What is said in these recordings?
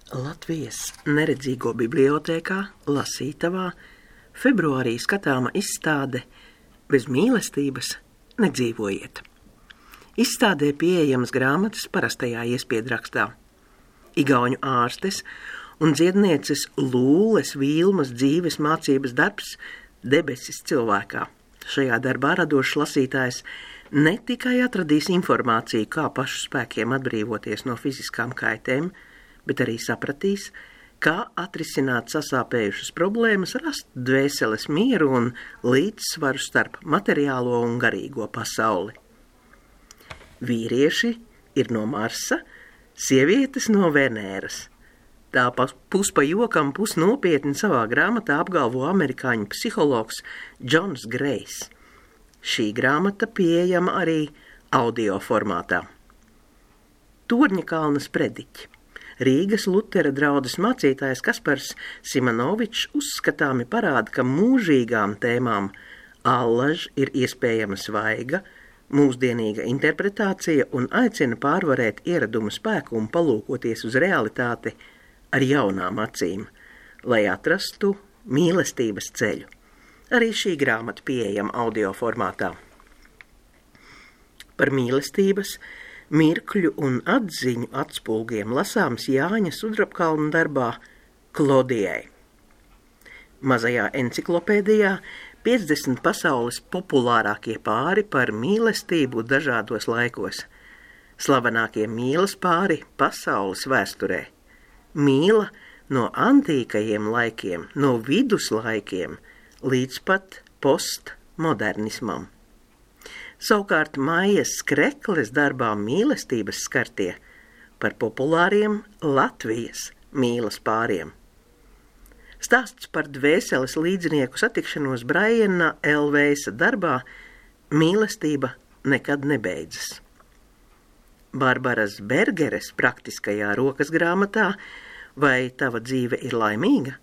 Latvijas neredzīgo bibliotēkā lasītavā februārī skatāma izstāde Bez mīlestības nedzīvojiet. Izstādē pieejamas grāmatas parastajā iespiedrakstā. Igauņu ārstes un dziednieces Lūles Vilmas dzīves mācības darbs Debesis cilvēkā. Šajā darbā radošs lasītājs ne tikai atradīs informāciju, kā pašu spēkiem atbrīvoties no fiziskām kaitēm, bet arī sapratīs, kā atrisināt sasāpējušas problēmas, rast dvēseles mieru un līdzsvaru starp materiālo un garīgo pasauli. Vīrieši ir no Marsa, sievietes no Venēras. Tā pus pa jokam, pus nopietni savā grāmatā apgalvo amerikāņu psihologs Džons Grejs. Šī grāmata pieejama arī audio formātā. Torņakalna sprediķi. Rīgas Lutera draudzes mācītājs Kaspars Simonovičs uzskatāmi parāda, ka mūžīgām tēmām allaž ir iespējama svaiga, mūsdienīga interpretācija un aicina pārvarēt ieradumu spēku un palūkoties uz realitāti ar jaunām acīm, lai atrastu mīlestības ceļu. Arī šī grāmata pieejama audio formātā. Par mīlestības, mirkļu un atziņu atspulgiem lasāms Jāņa Sudrabkalna darbā Klodijai. Mazajā enciklopēdijā 50 pasaules populārākie pāri par mīlestību dažādos laikos. Slavenākie mīlas pāri pasaules vēsturē. Mīla no antīkajiem laikiem, no viduslaikiem līdz pat postmodernismam. Savukārt Maijas Skrekles darbā Mīlestības skartie par populāriem Latvijas mīlas pāriem. Stāsts par dvēseles līdzinieku satikšanos Braiena Elveisa darbā Mīlestība nekad nebeidzas. Barbaras Bergeres praktiskajā rokas grāmatā Vai tava dzīve ir laimīga?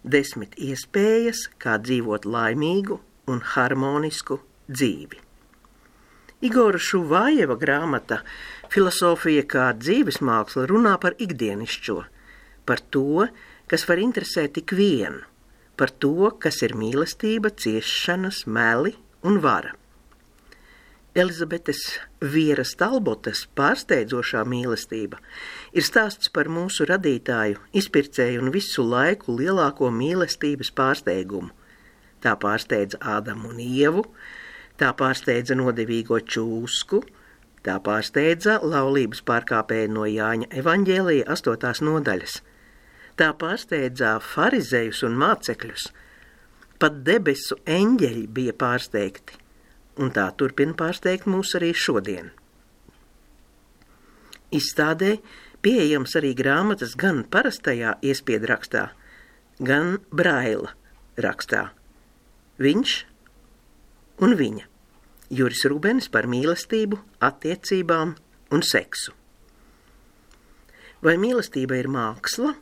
10 iespējas, kā dzīvot laimīgu un harmonisku dzīvi. Igora Šuvājeva grāmata Filosofija kā dzīves māksla runā par ikdienišķo, par to, kas var interesēt tik vienu, par to, kas ir mīlestība, ciešanas, meli un vara. Elizabetes Vieras Talbotas pārsteidzošā mīlestība ir stāsts par mūsu radītāju, izpircēju un visu laiku lielāko mīlestības pārsteigumu. Tā pārsteidza Ādamu un Ievu, tā pārsteidza nodevīgo čūsku, tā pārsteidza laulības pārkāpēju no Jāņa evaņģēlija 8. nodaļas. Tā pārsteidza farizejus un mācekļus. Pat debesu eņģeļi bija pārsteigti, un tā turpina pārsteigt mūs arī šodien. Izstādē pieejams arī grāmatas gan parastajā iespiedrakstā, gan Braila rakstā. Viņš un viņa. Juris Rubenis par mīlestību, attiecībām un seksu. Vai mīlestība ir māksla?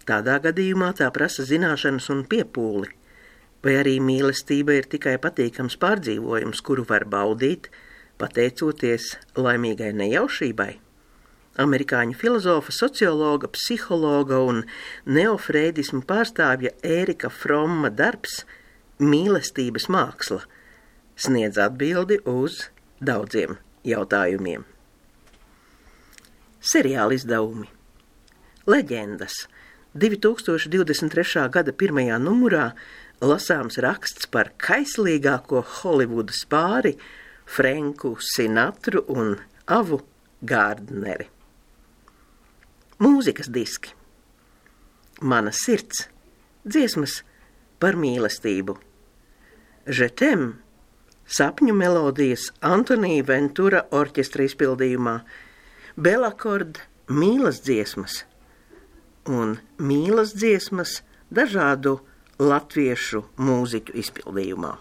Tādā gadījumā tā prasa zināšanas un piepūli. Vai arī mīlestība ir tikai patīkams pārdzīvojums, kuru var baudīt, pateicoties laimīgai nejaušībai? Amerikāņu filozofa, sociologa, psihologa un neofreidismu pārstāvja Ērika Fromma darbs Mīlestības māksla sniedz atbildi uz daudziem jautājumiem. Seriāla izdevumi. Leģendas. 2023. gada 1. numurā lasāms raksts par kaislīgāko Holivudas pāri Frenku Sinatru un Avu Gārdneri. Mūzikas diski. Mana sirds. Dziesmas par mīlestību. Je t'aime. Sapņu melodijas Antonija Ventura orķestra izpildījumā. Belakord mīlas dziesmas un mīlas dziesmas dažādu latviešu mūziķu izpildījumā.